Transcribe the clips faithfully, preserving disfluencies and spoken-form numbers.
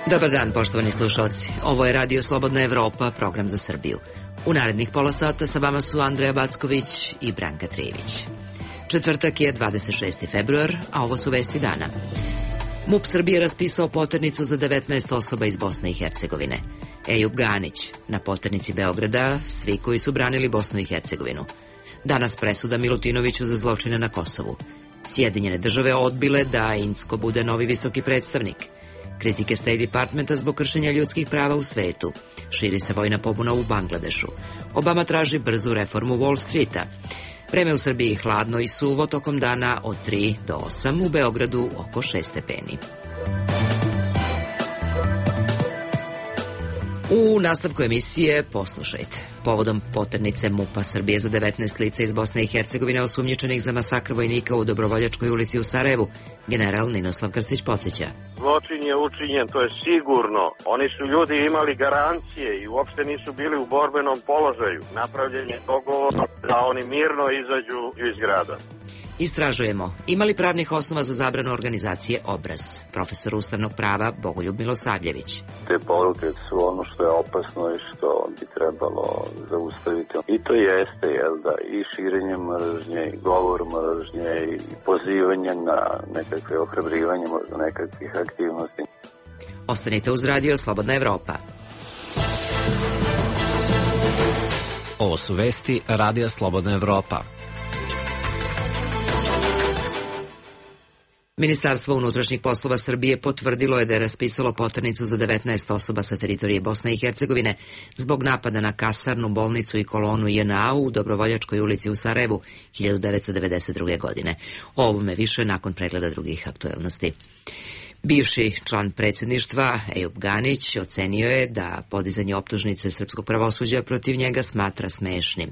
Dobar dan, poštovani slušalci. Ovo je Radio Slobodna Evropa, program za Srbiju. U narednih pola sata sa vama su Andreja Backović i Branka Trijević. Četvrtak je dvadeset šesti februar, a ovo su vesti dana. MUP Srbije raspisao poternicu za devetnaest osoba iz Bosne i Hercegovine. Ejub Ganić, na poternici Beograda, svi koji su branili Bosnu i Hercegovinu. Danas presuda Milutinoviću za zločine na Kosovu. Sjedinjene države odbile da Incko bude novi visoki predstavnik. Kritike State Departmenta zbog kršenja ljudskih prava u svetu. Širi se vojna pobuna u Bangladešu. Obama traži brzu reformu Wall Streeta. Vreme u Srbiji hladno i suvo tokom dana od tri do osam, u Beogradu oko šest stepeni. U nastavku emisije poslušajte. Povodom poternice MUP-a Srbije za devetnaest lica iz Bosne i Hercegovine osumnjičenih za masakr vojnika u Dobrovoljačkoj ulici u Sarajevu, general Ninoslav Krstić podsjeća. Zločin je učinjen, to je sigurno. Oni su ljudi imali garancije i uopšte nisu bili u borbenom položaju. Napravljen je dogovor da oni mirno izađu iz grada. Istražujemo, ima li pravnih osnova za zabranu organizacije Obraz? Profesor ustavnog prava Bogoljub Milosavljević. Te poruke su ono što je opasno i što bi trebalo zaustaviti. I to jeste, jel da, i širenje mržnje, i govor mržnje, i pozivanje na nekakve ohrabrivanje, možda nekakvih aktivnosti. Ostanite uz Radio Slobodna Evropa. Ovo su vesti Radio Slobodna Evropa. Ministarstvo unutrašnjih poslova Srbije potvrdilo je da je raspisalo poternicu za devetnaest osoba sa teritorije Bosne i Hercegovine zbog napada na kasarnu, bolnicu i kolonu J N A u Dobrovoljačkoj ulici u Sarajevu hiljadu devetsto devedeset druge. godine. O ovome više nakon pregleda drugih aktuelnosti. Bivši član predsjedništva Ejub Ganić ocenio je da podizanje optužnice srpskog pravosuđa protiv njega smatra smešnim.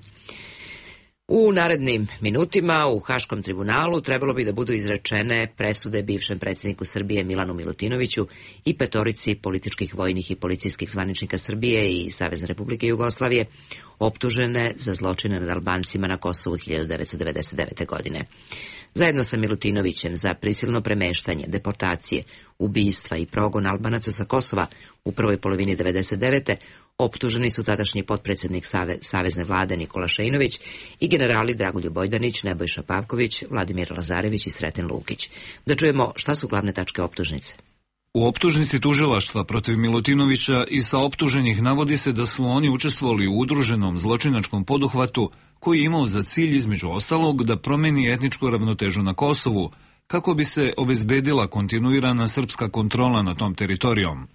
U narednim minutima u Haškom tribunalu trebalo bi da budu izrečene presude bivšem predsjedniku Srbije Milanu Milutinoviću i petorici političkih, vojnih i policijskih zvaničnika Srbije i Savezne Republike Jugoslavije optužene za zločine nad Albancima na Kosovu hiljadu devetsto devedeset devete. godine. Zajedno sa Milutinovićem za prisilno premeštanje, deportacije, ubistva i progon Albanaca sa Kosova u prvoj polovini devedeset devete. optuženi su tadašnji potpredsjednik Save, Savezne vlade Nikola Šejnović i generali Dragoljub Bojdanić, Nebojša Pavković, Vladimir Lazarević i Sreten Lukić. Da čujemo šta su glavne tačke optužnice. U optužnici tužilaštva protiv Milutinovića i sa optuženih navodi se da su oni učestvovali u udruženom zločinačkom poduhvatu koji je imao za cilj između ostalog da promeni etničku ravnotežu na Kosovu kako bi se obezbedila kontinuirana srpska kontrola nad tom teritorijom.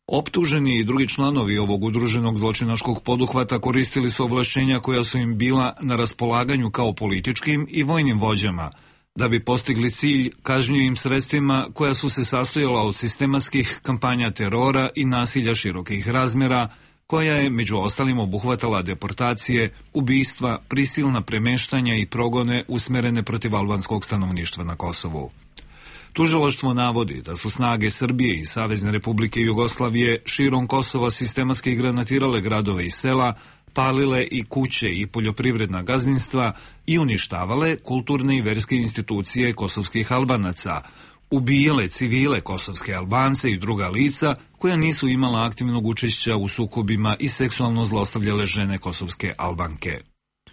Optuženi i drugi članovi ovog udruženog zločinačkog poduhvata koristili su ovlašćenja koja su im bila na raspolaganju kao političkim i vojnim vođama, da bi postigli cilj kažnjivim sredstvima koja su se sastojala od sistematskih kampanja terora i nasilja širokih razmjera, koja je među ostalim obuhvatala deportacije, ubistva, prisilna premeštanja i progone usmerene protiv albanskog stanovništva na Kosovu. Tužilaštvo navodi da su snage Srbije i Savezne Republike Jugoslavije širom Kosova sistematski granatirale gradove i sela, palile i kuće i poljoprivredna gazdinstva i uništavale kulturne i verske institucije kosovskih Albanaca, ubijale civile kosovske Albance i druga lica koja nisu imala aktivnog učešća u sukobima i seksualno zlostavljale žene kosovske Albanke.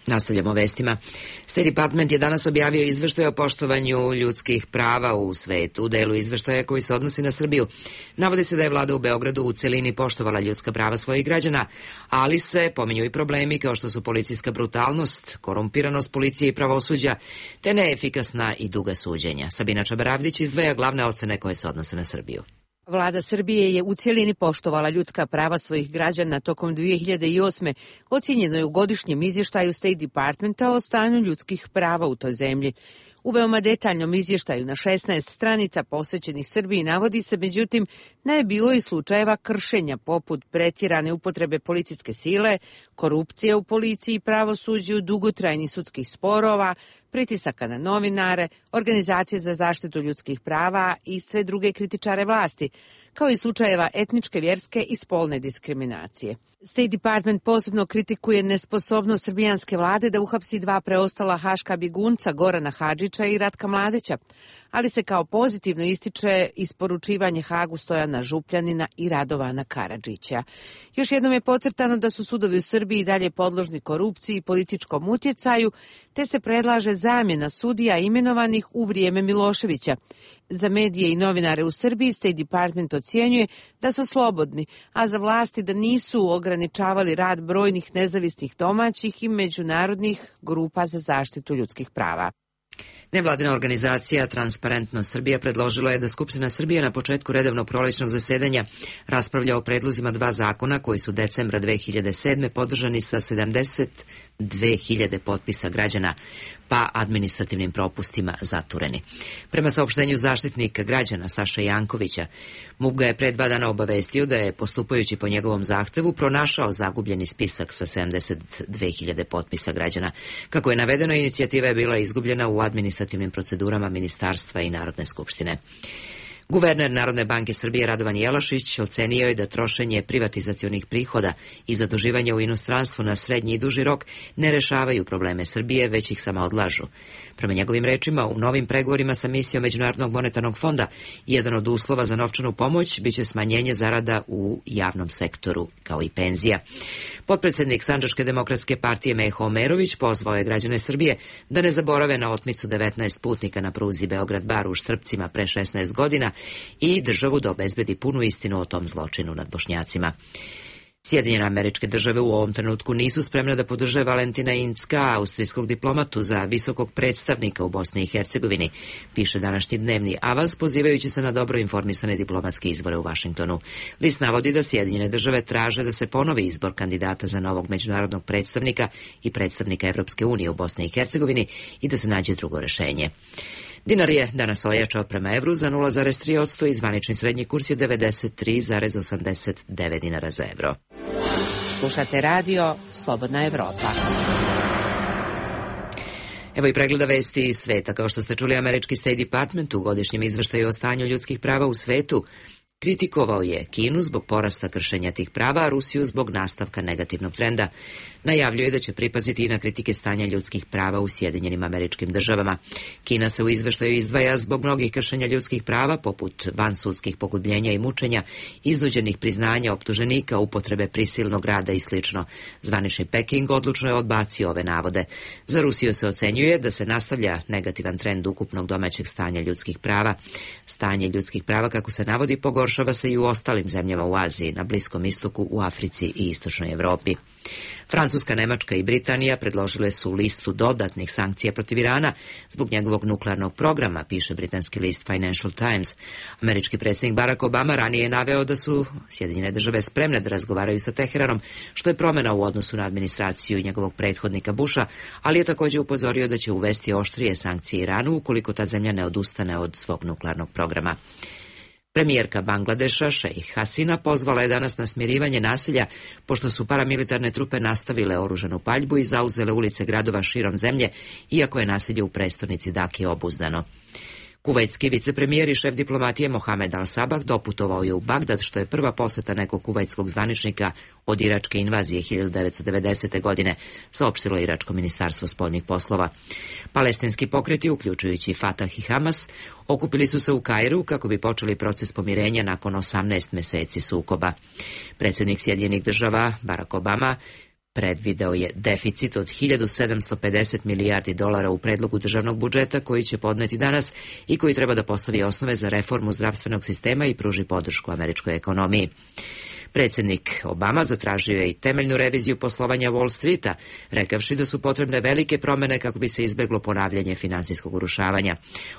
Nastavljamo vestima. State Department je danas objavio izveštaj o poštovanju ljudskih prava u svetu. U delu izveštaja koji se odnosi na Srbiju navodi se da je vlada u Beogradu u celini poštovala ljudska prava svojih građana, ali se pominju i problemi kao što su policijska brutalnost, korumpiranost policije i pravosuđa, te neefikasna i duga suđenja. Sabina Čabaravdić izdvaja glavne ocene koje se odnose na Srbiju. Vlada Srbije je u cijelini poštovala ljudska prava svojih građana tokom dvije hiljade osme. Ocjenjeno je u godišnjem izvještaju State Departmenta o stanju ljudskih prava u toj zemlji. U veoma detaljnom izvještaju na šesnaest stranica posvećenih Srbiji navodi se, međutim, da je bilo i slučajeva kršenja poput pretjerane upotrebe policijske sile, korupcije u policiji i pravosuđu, dugotrajnih sudskih sporova, pritisaka na novinare, organizacije za zaštitu ljudskih prava i sve druge kritičare vlasti, kao i slučajeva etničke, vjerske i spolne diskriminacije. State Department posebno kritikuje nesposobnost srbijanske vlade da uhapsi dva preostala haška bjegunca Gorana Hadžića i Ratka Mladića, ali se kao pozitivno ističe isporučivanje Hagu Stojana Župljanina i Radovana Karadžića. Još jednom je podcrtano da su sudovi u Srbiji dalje podložni korupciji i političkom utjecaju, te se predlaže zamjena sudija imenovanih u vrijeme Miloševića. Za medije i novinare u Srbiji State Department ocjenjuje da su slobodni, a za vlasti da nisu ograničavali rad brojnih nezavisnih domaćih i međunarodnih grupa za zaštitu ljudskih prava. Nevladina organizacija Transparentnost Srbija predložila je da Skupština Srbije na početku redovnog prolećnog zasedanja raspravlja o predlozima dva zakona koji su decembra dve hiljade sedme podržani sa sedamdeset dve hiljade potpisa građana, pa administrativnim propustima zatureni. Prema saopštenju zaštitnika građana Saša Jankovića, MUP ga je pre dva dana obavestio da je, postupajući po njegovom zahtevu, pronašao zagubljeni spisak sa sedamdeset dve hiljade potpisa građana. Kako je navedeno, inicijativa je bila izgubljena u administrativnim procedurama Ministarstva i Narodne skupštine. Guverner Narodne banke Srbije Radovan Jelašić ocenio je da trošenje privatizacionih prihoda i zaduživanje u inostranstvu na srednji i duži rok ne rešavaju probleme Srbije, već ih samo odlažu. Prema njegovim rečima, u novim pregovorima sa misijom Međunarodnog monetarnog fonda jedan od uslova za novčanu pomoć biće smanjenje zarada u javnom sektoru, kao i penzija. Potpredsednik Sandžačke demokratske partije Meho Omerović pozvao je građane Srbije da ne zaborave na otmicu devetnaest putnika na pruzi Beograd-Bar u Štrpcima pre šesnaest godina i državu da obezbedi punu istinu o tom zločinu nad Bošnjacima. Sjedinjene Američke Države u ovom trenutku nisu spremne da podrže Valentina Incka, austrijskog diplomatu za visokog predstavnika u Bosni i Hercegovini, piše današnji dnevni Avaz, pozivajući se na dobro informisane diplomatske izbore u Vašingtonu. List navodi da Sjedinjene Države traže da se ponovi izbor kandidata za novog međunarodnog predstavnika i predstavnika Evropske unije u Bosni i Hercegovini i da se nađe drugo rešenje. Dinar je danas ojačao prema evru za nula zarez tri posto i zvanični srednji kurs je devedeset tri zarez osamdeset devet dinara za evro. Slušate radio Slobodna Evropa. Evo i pregleda vesti iz sveta. Kao što ste čuli, američki State Department u godišnjem izveštaju o stanju ljudskih prava u svetu kritikovao je Kinu zbog porasta kršenja tih prava, a Rusiju zbog nastavka negativnog trenda. Najavljuje da će pripaziti i na kritike stanja ljudskih prava u Sjedinjenim Američkim Državama. Kina se u izveštaju izdvaja zbog mnogih kršenja ljudskih prava, poput vansudskih pogubljenja i mučenja, iznuđenih priznanja optuženika, upotrebe prisilnog rada i sl. Zvanični Peking odlučno je odbacio ove navode. Za Rusiju se ocenjuje da se nastavlja negativan trend ukupnog domaćeg stanja ljudskih prava. Stanje ljudskih prava, kako se navodi, pogoršava se i u ostalim zemljama u Aziji, na Bliskom istoku, u Africi i Istočnoj Evropi. Francuska, Nemačka i Britanija predložile su listu dodatnih sankcija protiv Irana zbog njegovog nuklearnog programa, piše britanski list Financial Times. Američki predsjednik Barack Obama ranije je naveo da su Sjedinjene Države spremne da razgovaraju sa Teheranom, što je promjena u odnosu na administraciju njegovog prethodnika Busha, ali je također upozorio da će uvesti oštrije sankcije Iranu ukoliko ta zemlja ne odustane od svog nuklearnog programa. Premijerka Bangladeša, Šejh Hasina, pozvala je danas na smirivanje nasilja, pošto su paramilitarne trupe nastavile oružanu paljbu i zauzele ulice gradova širom zemlje, iako je nasilje u prestonici Daki obuzdano. Kuvajtski vicepremijer i šef diplomatije Mohamed Al-Sabah doputovao je u Bagdad, što je prva poseta nekog kuvajtskog zvaničnika od iračke invazije hiljadu devetsto devedesete. godine, saopštilo iračko ministarstvo spoljnih poslova. Palestinski pokreti, uključujući Fatah i Hamas, okupili su se u Kairu kako bi počeli proces pomirenja nakon osamnaest meseci sukoba. Predsjednik Sjedinjenih Država Barack Obama predvideo je deficit od hiljadu sedamsto pedeset milijardi dolara u predlogu državnog budžeta koji će podneti danas i koji treba da postavi osnove za reformu zdravstvenog sistema i pruži podršku američkoj ekonomiji. Predsjednik Obama zatražio je i temeljnu reviziju poslovanja Wall Streeta, rekavši da su potrebne velike promjene kako bi se izbeglo ponavljanje finansijskog urušavanja.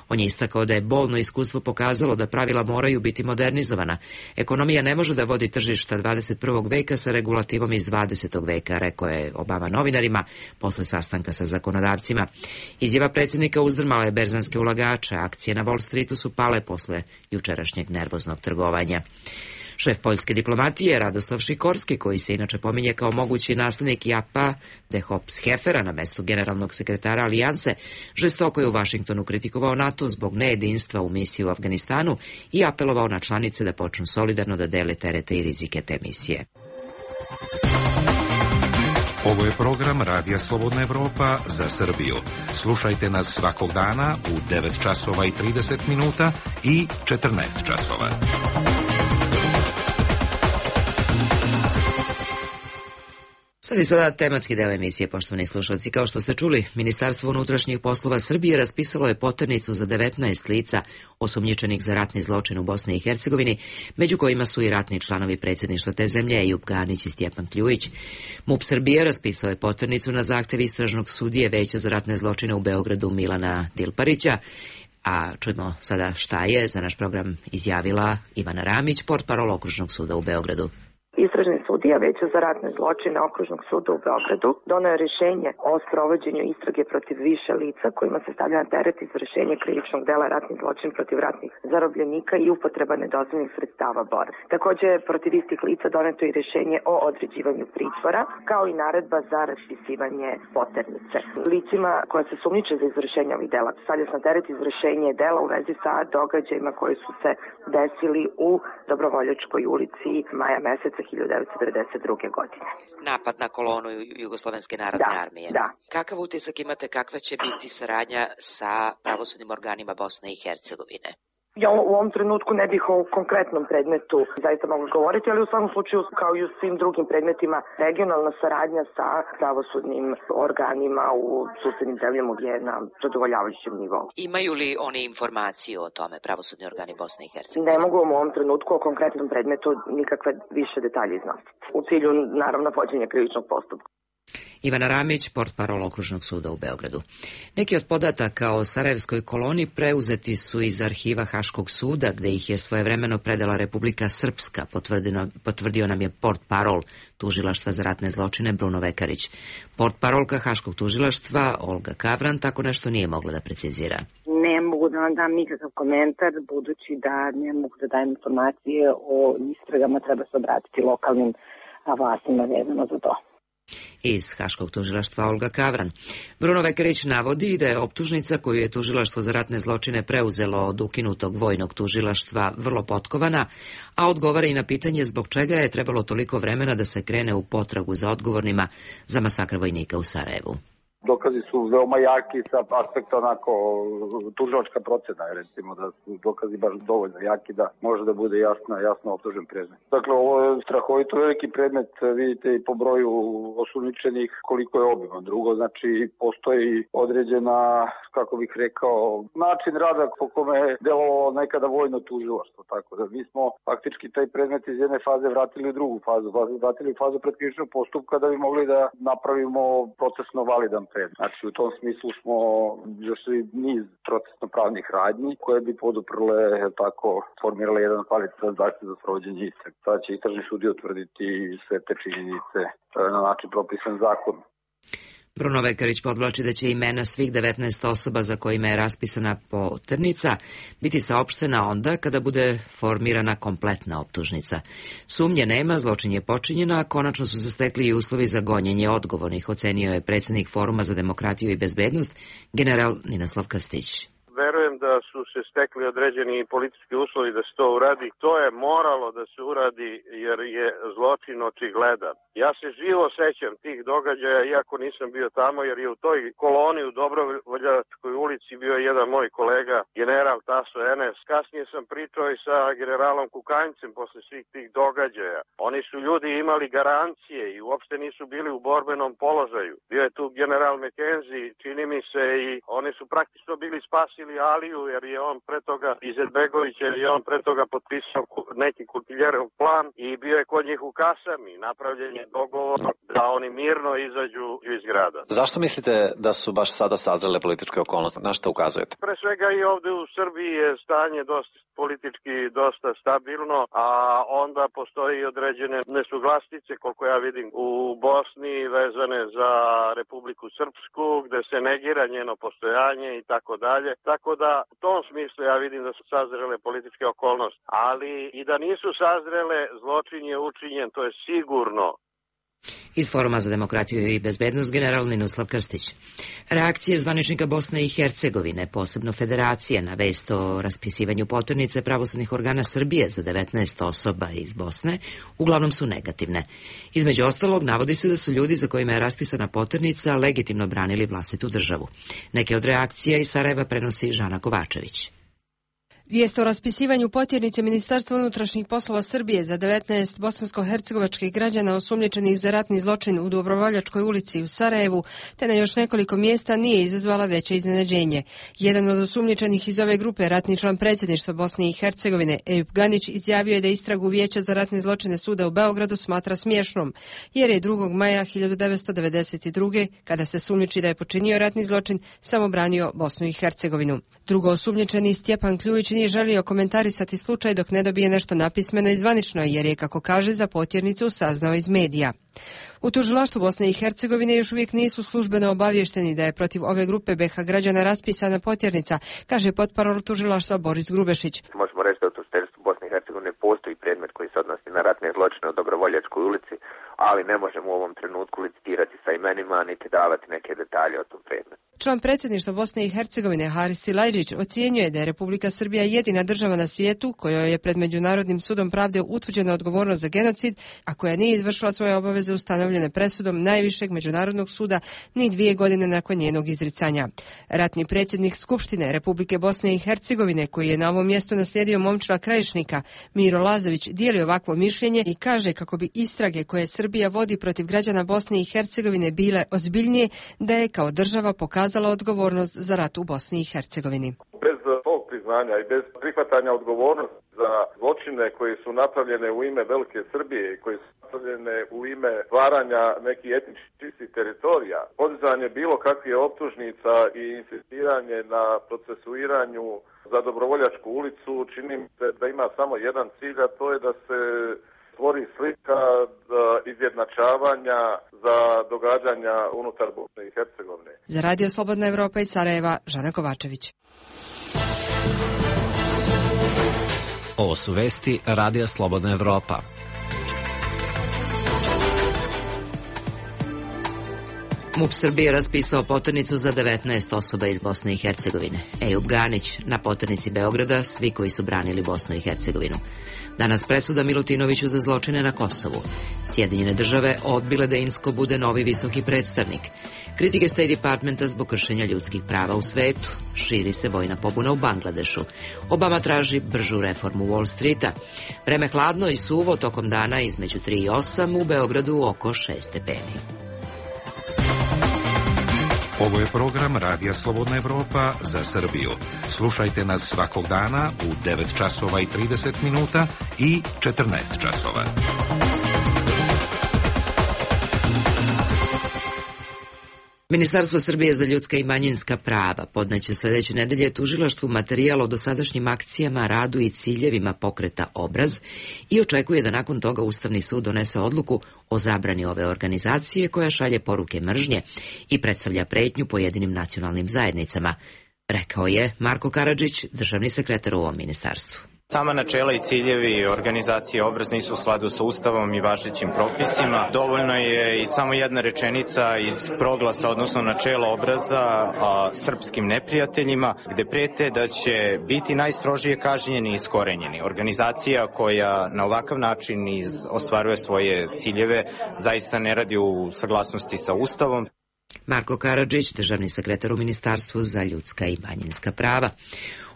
On je istakao da je bolno iskustvo pokazalo da pravila moraju biti modernizovana. Ekonomija ne može da vodi tržišta dvadeset prvog veka sa regulativom iz dvadesetog veka, rekao je Obama novinarima posle sastanka sa zakonodavcima. Izjava predsjednika uzdrmala je berzanske ulagače, akcije na Wall Streetu su pale posle jučerašnjeg nervoznog trgovanja. Šef poljske diplomatije Radoslav Šikorski, koji se inače pominje kao mogući naslednik Japa Dehopshefera na mestu generalnog sekretara Alijanse, žestoko je u Vašingtonu kritikovao NATO zbog nejedinstva u misiji u Afganistanu i apelovao na članice da počnu solidarno da dele terete i rizike te misije. Ovo je program Radija Slobodna Evropa za Srbiju. Slušajte nas svakog dana u devet časova i trideset minuta i četrnaest časova. Sad je sada tematski deo emisije, poštovani slušalci. Kao što ste čuli, Ministarstvo unutrašnjih poslova Srbije raspisalo je poternicu za devetnaest lica osumnjičenih za ratni zločin u Bosni i Hercegovini, među kojima su i ratni članovi predsjedništva te zemlje Ejub Ganić i Stjepan Kljujić. MUP Srbije raspisao je poternicu na zahtev istražnog sudije Veća za ratne zločine u Beogradu Milana Dilparića, a čujemo sada šta je za naš program izjavila Ivana Ramić, portparol Okružnog suda u Beogradu. Istražni sudija Veća za ratne zločine Okružnog suda u Beogradu doneo je rješenje o sprovođenju istrage protiv više lica kojima se stavlja na teret izvršenje krivičnog dela ratni zločin protiv ratnih zarobljenika i upotreba nedozvoljenih sredstava borbe. Također protiv istih lica doneto je rješenje o određivanju pritvora, kao i naredba za raspisivanje poternice. Licima koja se sumnjiče za izvršenje ovih dela stavlja se na teret izvršenje dela u vezi sa događajima koji su se desili u Dobrovoljačkoj ulici maja meseca hiljadu devetsto devedeset druge. godine. Napad na kolonu Jugoslovenske narodne da, armije. Da. Kakav utisak imate, kakva će biti saradnja sa pravosudnim organima Bosne i Hercegovine? Ja u ovom trenutku ne bih o konkretnom predmetu zaista mogla govoriti, ali u svakom slučaju kao i u svim drugim predmetima regionalna saradnja sa pravosudnim organima u susednim zemljama je na zadovoljavajućem nivou. Imaju li oni informaciju o tome, pravosudni organi Bosne i Hercegovine? Ne mogu u ovom trenutku o konkretnom predmetu nikakve više detalje iznositi. U cilju, naravno, vođenja krivičnog postupka. Ivana Ramić, portparol Okružnog suda u Beogradu. Neki od podataka o sarajevskoj koloni preuzeti su iz arhiva Haškog suda, gde ih je svojevremeno predala Republika Srpska, potvrdio nam je portparol Tužilaštva za ratne zločine Bruno Vekarić. Portparolka Haškog tužilaštva Olga Kavran tako nešto nije mogla da precizira. Ne mogu da vam dam nikakav komentar, budući da ne mogu da dajem informacije o istragama, treba se obratiti lokalnim vlastima vezano za to. Iz Haškog tužilaštva Olga Kavran. Bruno Vekarić navodi da je optužnica koju je Tužilaštvo za ratne zločine preuzelo od ukinutog vojnog tužilaštva vrlo potkovana, a odgovara i na pitanje zbog čega je trebalo toliko vremena da se krene u potragu za odgovornima za masakr vojnika u Sarajevu. Dokazi su veoma jaki sa aspekta onako tužilačka procena, recimo da su dokazi baš dovoljno jaki da može da bude jasno, jasno optužen predmet. Dakle, ovo je strahovito veliki predmet, vidite i po broju osumnjičenih koliko je obiman. Drugo, znači, postoji određena, kako bih rekao, način rada po kome je delovalo nekada vojno tužilaštvo. Tako da mi smo faktički taj predmet iz jedne faze vratili u drugu fazu, vratili u fazu predkrivičnog postupka da bi mogli da napravimo procesno validan predmet. Znači, u tom smislu smo zašli niz procesno-pravnih radnji koje bi poduprle, tako, formirale jedan kvalitetan zahtev za sprovođenje istrage. Sada će istražni sudija utvrditi sve te činjenice na način propisan zakon. Bruno Vekarić podvlači da će imena svih devetnaest osoba za kojima je raspisana poternica biti saopštena onda kada bude formirana kompletna optužnica. Sumnje nema, zločin je počinjen, a konačno su se stekli i uslovi za gonjenje odgovornih, ocenio je predsjednik Foruma za demokratiju i bezbednost, general Ninoslav Krstić. Verujem da su se stekli određeni politički uslovi da se to uradi. To je moralo da se uradi jer je zločin očigledan. Ja se živo sećam tih događaja, iako nisam bio tamo, jer je u toj koloni u Dobrovoljačkoj ulici bio jedan moj kolega, general Taso Enes. Kasnije sam pričao i sa generalom Kukanjcem posle svih tih događaja. Oni su ljudi imali garancije i uopšte nisu bili u borbenom položaju. Bio je tu general McKenzie, čini mi se, i oni su praktično bili spasili Aliju, jer je on pre toga Izetbegović, jer je on pre toga potpisao neki Kutiljerov plan i bio je kod njih u kasarni. Napravljen je dogovor da oni mirno izađu iz grada. Zašto mislite da su baš sada sazrele političke okolnosti? Na što ukazujete? Pre svega i ovde u Srbiji je stanje dosta politički dosta stabilno, a onda postoji određene nesuglasice, koliko ja vidim, u Bosni vezane za Republiku Srpsku, gde se negira njeno postojanje i tako dalje. Tako da u tom smislu ja vidim da su sazrele političke okolnosti, ali i da nisu sazrele, zločin je učinjen, to je sigurno. Iz Foruma za demokratiju i bezbednost general Ninoslav Krstić. Reakcije zvaničnika Bosne i Hercegovine, posebno Federacije, na vest o raspisivanju poternice pravosudnih organa Srbije za devetnaest osoba iz Bosne, uglavnom su negativne. Između ostalog, navodi se da su ljudi za kojima je raspisana poternica legitimno branili vlastitu državu. Neke od reakcija iz Sarajeva prenosi Žana Kovačević. Vijest o raspisivanju potjernice Ministarstva unutrašnjih poslova Srbije za devetnaest bosansko-hercegovačkih građana osumnjičenih za ratni zločin u Dobrovoljačkoj ulici u Sarajevu, te na još nekoliko mjesta nije izazvala veće iznenađenje. Jedan od osumnjičenih iz ove grupe, ratni član predsjedništva Bosne i Hercegovine, Ejub Ganić, izjavio je da istragu Vijeća za ratne zločine suda u Beogradu smatra smiješnom, jer je drugog maja hiljadu devetsto devedeset druge kada se sumnjiči da je počinio ratni zločin, samo branio Bosnu i Hercegovinu. Drugo osumnjičeni Stjepan Kljujić nije želio komentarisati slučaj dok ne dobije nešto napismeno i zvanično, jer je, kako kaže, za potjernicu saznao iz medija. U tužilaštvu Bosne i Hercegovine još uvijek nisu službeno obavješteni da je protiv ove grupe be ha građana raspisana potjernica, kaže potparol tužilaštva Boris Grubešić. Možemo reći da u tužiteljstvu Bosne i Hercegovine postoji predmet koji se odnosi na ratne zločine u Dobrovoljačkoj ulici, ali ne možemo u ovom trenutku licitirati sa imenima niti davati neke detalje o tom predmetu. Član predsjedništva Bosne i Hercegovine Haris Silajđić ocjenjuje da je Republika Srbija jedina država na svijetu kojoj je pred Međunarodnim sudom pravde utvrđena odgovornost za genocid, a koja nije izvršila svoje obaveze ustanovljene presudom najvišeg međunarodnog suda ni dvije godine nakon njenog izricanja. Ratni predsjednik Skupštine Republike Bosne i Hercegovine, koji je na ovom mjestu naslijedio Momčila Krajišnika, Miro Lazović, dijeli ovakvo mišljenje i kaže kako bi istrage koje Srbija vodi protiv građana Bosne i Hercegovine bile ozbiljnije, da je kao država pokazala odgovornost za rat u Bosni i Hercegovini. Bez tog priznanja i bez prihvatanja odgovornosti za zločine koji su napravljene u ime Velike Srbije i koji su napravljene u ime stvaranja nekih etničkih čistih teritorija, podizanje bilo kakvih optužnica i insistiranje na procesuiranju za Dobrovoljačku ulicu čini mi se da ima samo jedan cilj, a to je da se stvori slika izjednačavanja za događanja unutar Bosne i Hercegovine. Za Radio Slobodna Evropa iz Sarajeva, Žana Kovačević. Ovo su vesti Radija Slobodna Evropa. MUP Srbije raspisao poternicu za devetnaest osoba iz Bosne i Hercegovine. Ejub Ganić na poternici Beograda, svi koji su branili Bosnu i Hercegovinu. Danas presuda Milutinoviću za zločine na Kosovu. Sjedinjene države odbile da Insko bude novi visoki predstavnik. Kritike State Departmenta zbog kršenja ljudskih prava u svetu. Širi se vojna pobuna u Bangladešu. Obama traži bržu reformu Wall Streeta. Vreme hladno i suvo tokom dana između tri i osam, u Beogradu oko šest stepeni. Ovo je program Radija Slobodna Evropa za Srbiju. Slušajte nas svakog dana u devet časova i trideset minuta i četrnaest časova. Ministarstvo Srbije za ljudska i manjinska prava podneće sljedeće nedelje tužilaštvu materijal o dosadašnjim akcijama, radu i ciljevima pokreta Obraz i očekuje da nakon toga Ustavni sud donese odluku o zabrani ove organizacije koja šalje poruke mržnje i predstavlja pretnju pojedinim nacionalnim zajednicama, rekao je Marko Karadžić, državni sekretar u ovom ministarstvu. Sama načela i ciljevi organizacije Obraz nisu u skladu sa Ustavom i važećim propisima. Dovoljno je i samo jedna rečenica iz proglasa, odnosno načela Obraza a, srpskim neprijateljima, gde prete da će biti najstrožije kažnjeni i iskorenjeni. Organizacija koja na ovakav način iz, ostvaruje svoje ciljeve zaista ne radi u saglasnosti sa Ustavom. Marko Karadžić, državni sekretar u Ministarstvu za ljudska i manjinska prava.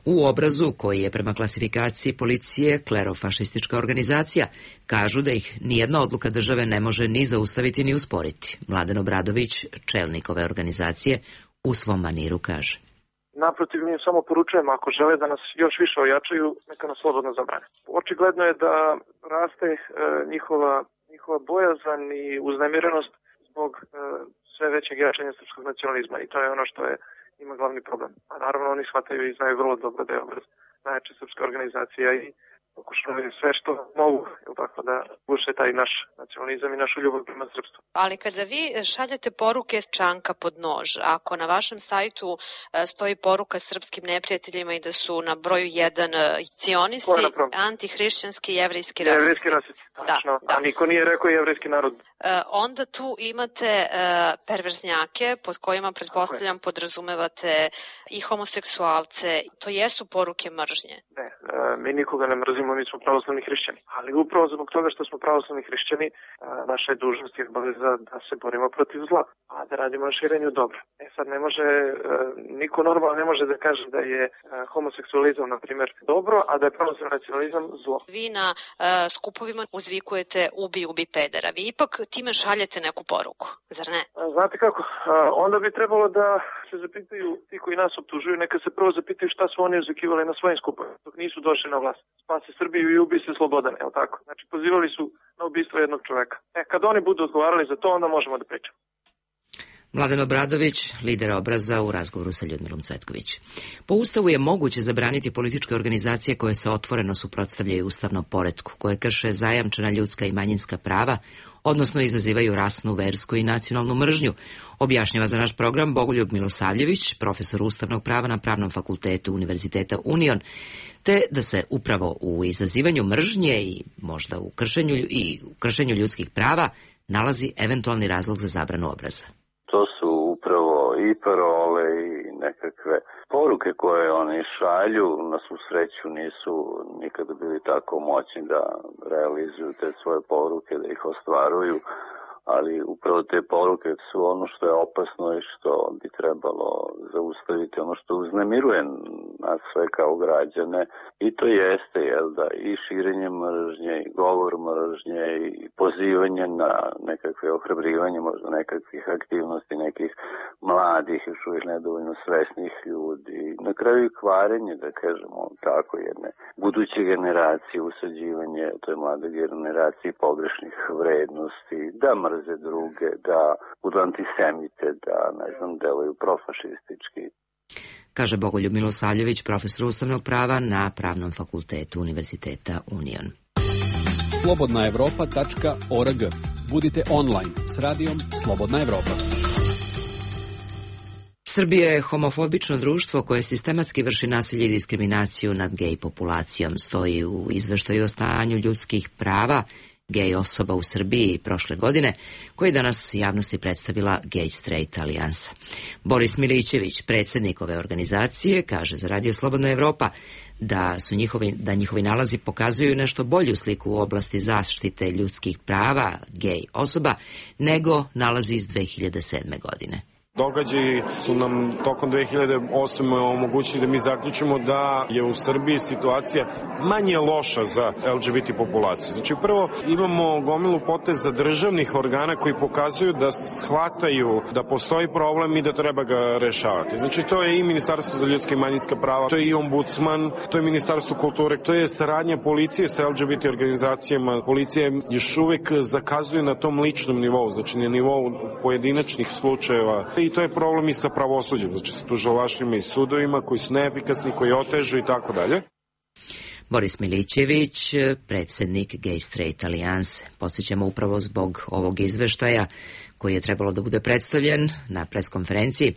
U Obrazu, koji je prema klasifikaciji policije klerofašistička organizacija, kažu da ih nijedna odluka države ne može ni zaustaviti ni usporiti. Mladen Obradović, čelnik ove organizacije, u svom maniru kaže. Naprotiv, mi samo poručujemo, ako žele da nas još više ojačaju, neka nas slobodno zabrane. Očigledno je da raste e, njihova, njihova bojazan i uznemirenost zbog e, sve većeg jačanja srpskog nacionalizma i to je ono što je ima glavni problem. A naravno oni shvataju i znaju vrlo dobro da je Obraz najjača srpska organizacija i pokušavaju sve što mogu, jel tako, da guše taj naš nacionalizam i našu ljubav prema srpstvu. Ali kada vi šaljete poruke s čanka pod nož, ako na vašem sajtu stoji poruka srpskim neprijateljima i da su na broju jedan cionisti, antihrišćanski, jevrejski rasisti. Jevrejski rasisti, tačno. Da, da. A niko nije rekao jevrejski narod. Onda tu imate perverznjake pod kojima, pretpostavljam, podrazumevate i homoseksualce. To jesu poruke mržnje. Ne, mi nikoga ne mrzimo, mi smo pravoslavni hrišćani. Ali upravo zbog toga što smo pravoslavni hrišćani, naša je dužnost i obaveza da se borimo protiv zla, a da radimo na širenju dobra. E sad ne može, niko normalno ne može da kaže da je homoseksualizam, na primjer, dobro, a da je pravoslavni nacionalizam zlo. Vi na skupovima uzvikujete ubi, ubi pedera. Vi ipak time šaljete neku poruku, zar ne? Znate kako, onda bi trebalo da se zapitaju ti koji nas optužuju, neka se prvo zapitaju šta su oni uzvikivali na svojim skupovima, dok nisu došli na vlast. Spasi Srbiju i ubi se Slobodan, je li tako? Znači, pozivali su na ubistvo jednog čoveka. E, kad oni budu odgovarali za to, onda možemo da pričamo. Mladen Obradović, lider Obraza, u razgovoru sa Ljudmilom Cvetković. Po Ustavu je moguće zabraniti političke organizacije koje se otvoreno suprotstavljaju ustavnom poretku, koje krše zajamčena ljudska i manjinska prava, odnosno izazivaju rasnu, versku i nacionalnu mržnju, objašnjava za naš program Bogoljub Milosavljević, profesor ustavnog prava na Pravnom fakultetu Univerziteta Union, te da se upravo u izazivanju mržnje i možda u kršenju, i u kršenju ljudskih prava nalazi eventualni razlog za zabranu Obraza. To su upravo i parole i nekakve poruke koje oni šalju. Na svu sreću nisu nikada bili tako moćni da realizuju te svoje poruke, da ih ostvaruju, ali upravo te poruke su ono što je opasno i što bi trebalo zaustaviti, ono što uznemiruje nas sve kao građane. I to jeste, jel da, i širenje mržnje, i govor mržnje, i pozivanje na nekakve ohrabrivanje, možda nekakvih aktivnosti, nekih mladih, još uvijek nedovoljno svesnih ljudi. Na kraju i kvarenje, da kažemo tako, jedne buduće generacije, usađivanje toj mlade generaciji pogrešnih vrednosti, da mrze druge, da budu antisemite, da, ne znam, deluju profašistički. Kaže Bogoljub Milosavljević, profesor ustavnog prava na Pravnom fakultetu Univerziteta Union. slobodna evropa tačka org. Budite online s radijom Slobodna Evropa. Srbija je homofobično društvo koje sistematski vrši nasilje i diskriminaciju nad gej populacijom. Stoji u izveštaju o stanju ljudskih prava gej osoba u Srbiji prošle godine, koji danas javnosti predstavila Gay Straight Alijansa. Boris Milićević, predsjednik ove organizacije, kaže za Radio Slobodna Evropa da su njihovi, da njihovi nalazi pokazuju nešto bolju sliku u oblasti zaštite ljudskih prava gej osoba nego nalazi iz dve hiljade sedme. godine. Događaji su nam tokom dve hiljade osme. omogućili da mi zaključimo da je u Srbiji situacija manje loša za el dže be te populaciju. Znači prvo imamo gomilu poteza državnih organa koji pokazuju da shvataju da postoji problem i da treba ga rešavati. Znači to je i Ministarstvo za ljudska i manjinska prava, to je i ombudsman, to je Ministarstvo kulture, to je saradnja policije sa el dže be te organizacijama. Policija još uvek zakazuje na tom ličnom nivou, znači na nivou pojedinačnih slučajeva. I to je problem i sa pravosuđem, znači sa tužilaštvima i sudovima koji su neefikasni, koji otežu i tako dalje. Boris Milićević, predsjednik Gay Straight Alijanse. Podsjećamo upravo zbog ovog izveštaja koji je trebalo da bude predstavljen na preskonferenciji.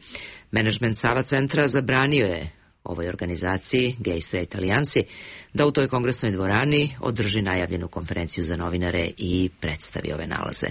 Menadžment Sava centra zabranio je ovoj organizaciji, Gay Straight Alijansi, da u toj kongresnoj dvorani održi najavljenu konferenciju za novinare i predstavi ove nalaze.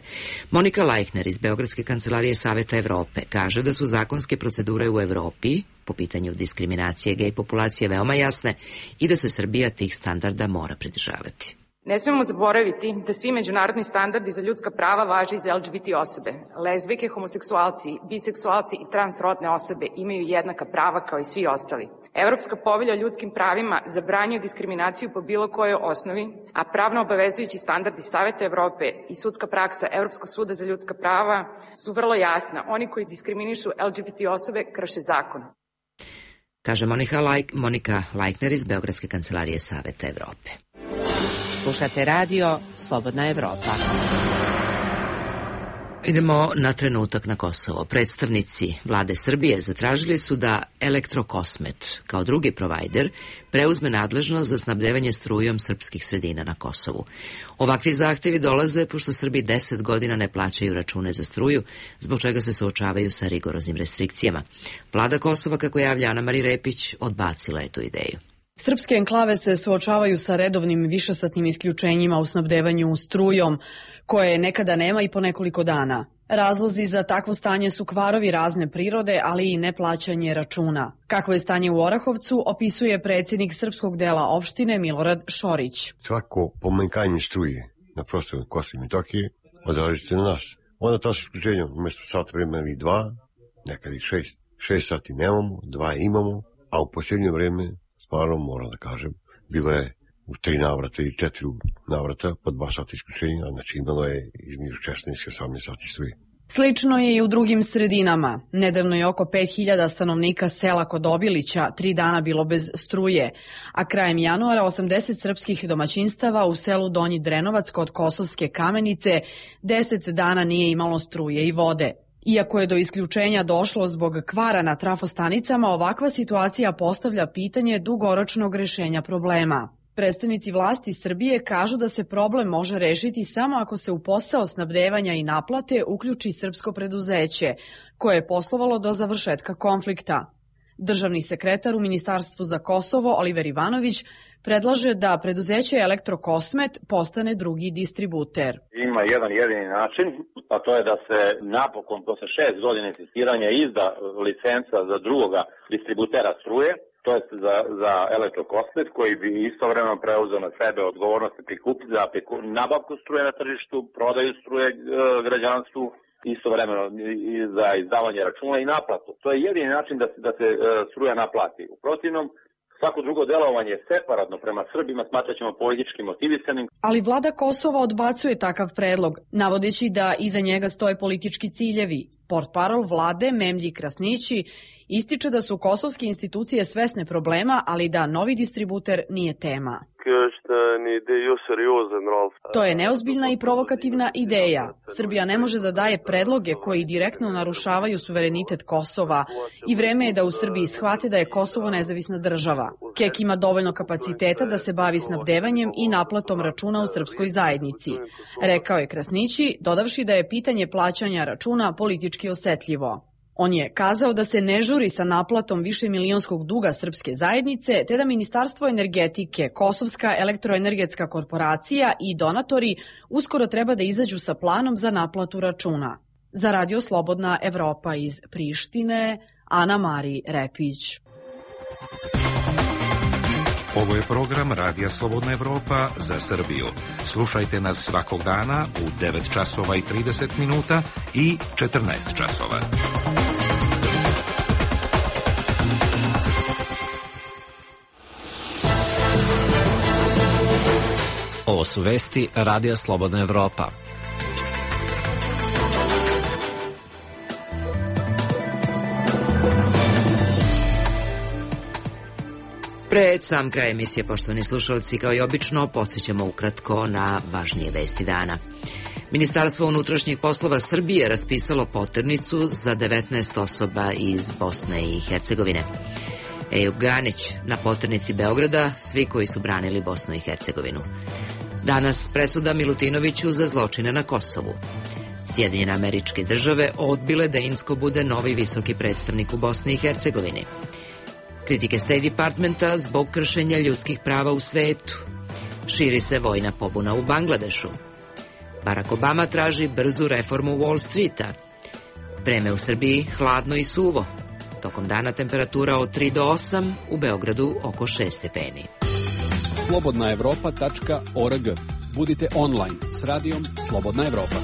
Monika Lajkner iz Beogradske kancelarije Saveta Evrope kaže da su zakonske procedure u Evropi po pitanju diskriminacije gej populacije veoma jasne i da se Srbija tih standarda mora pridržavati. Ne smemo zaboraviti da svi međunarodni standardi za ljudska prava važe i za el dže be te osobe. Lezbijke, homoseksualci, biseksualci i transrodne osobe imaju jednaka prava kao i svi ostali. Evropska povelja o ljudskim pravima zabranjuje diskriminaciju po bilo kojoj osnovi, a pravno obavezujući standardi Saveta Evrope i sudska praksa Evropskog suda za ljudska prava su vrlo jasna. Oni koji diskriminišu el dže be te osobe krše zakon. Kaže Monika, Lajk, Monika Lajkner iz Beogradske kancelarije Saveta Evrope. Slušate radio Slobodna Evropa. Idemo na trenutak na Kosovo. Predstavnici vlade Srbije zatražili su da Elektrokosmet, kao drugi provajder, preuzme nadležnost za snabdevanje strujom srpskih sredina na Kosovu. Ovakvi zahtevi dolaze pošto Srbi deset godina ne plaćaju račune za struju, zbog čega se suočavaju sa rigoroznim restrikcijama. Vlada Kosova, kako javlja Ana Mari Repić, odbacila je tu ideju. Srpske enklave se suočavaju sa redovnim višesatnim isključenjima u snabdevanju strujom, koje nekada nema i po nekoliko dana. Razlozi za takvo stanje su kvarovi razne prirode, ali i neplaćanje računa. Kakvo je stanje u Orahovcu, opisuje predsjednik srpskog dela opštine Milorad Šorić. Svako pomanjkanje struje na prostoru Kosova i Metohije odraži se na nas. Onda to s isključenjem umjesto sat vremena ili dva, nekad i šest. Šest sati nemamo, dva imamo, a u posljednje vreme, stvarno moram da kažem, bilo je u tri navrata i četiri navrata po dva sata isključenja, znači imalo je između šesnaest i osamnaest sati struje. Slično je i u drugim sredinama. Nedavno je oko pet hiljada stanovnika sela kod Obilića tri dana bilo bez struje, a krajem januara osamdeset srpskih domaćinstava u selu Donji Drenovac kod Kosovske Kamenice deset dana nije imalo struje i vode. Iako je do isključenja došlo zbog kvara na trafostanicama, ovakva situacija postavlja pitanje dugoročnog rešenja problema. Predstavnici vlasti Srbije kažu da se problem može rešiti samo ako se u posao snabdevanja i naplate uključi srpsko preduzeće, koje je poslovalo do završetka konflikta. Državni sekretar u Ministarstvu za Kosovo, Oliver Ivanović, predlaže da preduzeće Elektrokosmet postane drugi distributer. Ima jedan jedini način, a to je da se napokon posle šest godina insistiranja izda licenca za drugoga distributera struje, to je za, za Elektrokosmet, koji bi istovremeno preuzeo na sebe odgovornost za nabavku struje na tržištu, prodaju struje e, građanstvu, istovremeno za izdavanje računa i naplatu. To je jedini način da se, da se e, struja naplati. U protivnom, svako drugo delovanje separatno prema Srbima smatrat ćemo politički motivisanim. Ali vlada Kosova odbacuje takav predlog, navodeći da iza njega stoje politički ciljevi. Portparol vlade Memlji Krasnići ističe da su kosovske institucije svesne problema, ali da novi distributer nije tema. To je neozbiljna i provokativna ideja. Srbija ne može da daje predloge koji direktno narušavaju suverenitet Kosova i vreme je da u Srbiji shvate da je Kosovo nezavisna država. Kek ima dovoljno kapaciteta da se bavi snabdevanjem i naplatom računa u srpskoj zajednici, rekao je Krasnići, dodavši da je pitanje plaćanja računa politički osetljivo. On je kazao da se ne žuri sa naplatom višemilionskog duga srpske zajednice, te da Ministarstvo energetike, Kosovska elektroenergetska korporacija i donatori uskoro treba da izađu sa planom za naplatu računa. Za Radio Slobodna Evropa iz Prištine, Ana Mari Repić. Ovo je program Radija Slobodna Evropa za Srbiju. Slušajte nas svakog dana u devet časova i trideset minuta i četrnaest časova. Ovo su vesti Radija Slobodna Evropa. Pred sam kraj emisije, poštovani slušalci, kao i obično, podsjećamo ukratko na važnije vesti dana. Ministarstvo unutrašnjih poslova Srbije raspisalo poternicu za devetnaest osoba iz Bosne i Hercegovine. Ejub Ganić na poternici Beograda, svi koji su branili Bosnu i Hercegovinu. Danas presuda Milutinoviću za zločine na Kosovu. Sjedinjene Američke Države odbile da Incko bude novi visoki predstavnik u Bosni i Hercegovini. Kritike State Departmenta zbog kršenja ljudskih prava u svetu. Širi se vojna pobuna u Bangladešu. Barack Obama traži brzu reformu Wall Streeta. Vreme u Srbiji hladno i suvo. Tokom dana temperatura od tri do osam, u Beogradu oko šest stepeni. slobodna evropa tačka org. Budite online s radijom Slobodna Evropa.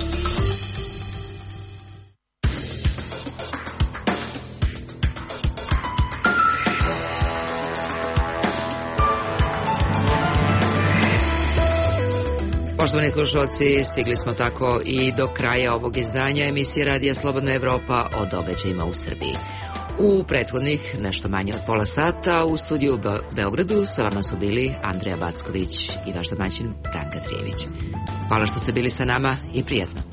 Poštovani slušalci, stigli smo tako i do kraja ovog izdanja emisije Radija Slobodna Evropa o događajima u Srbiji. U prethodnih nešto manje od pola sata u studiju u Be- Beogradu sa vama su bili Andreja Backović i vaš domaćin Branka Trijević. Hvala što ste bili sa nama i prijatno.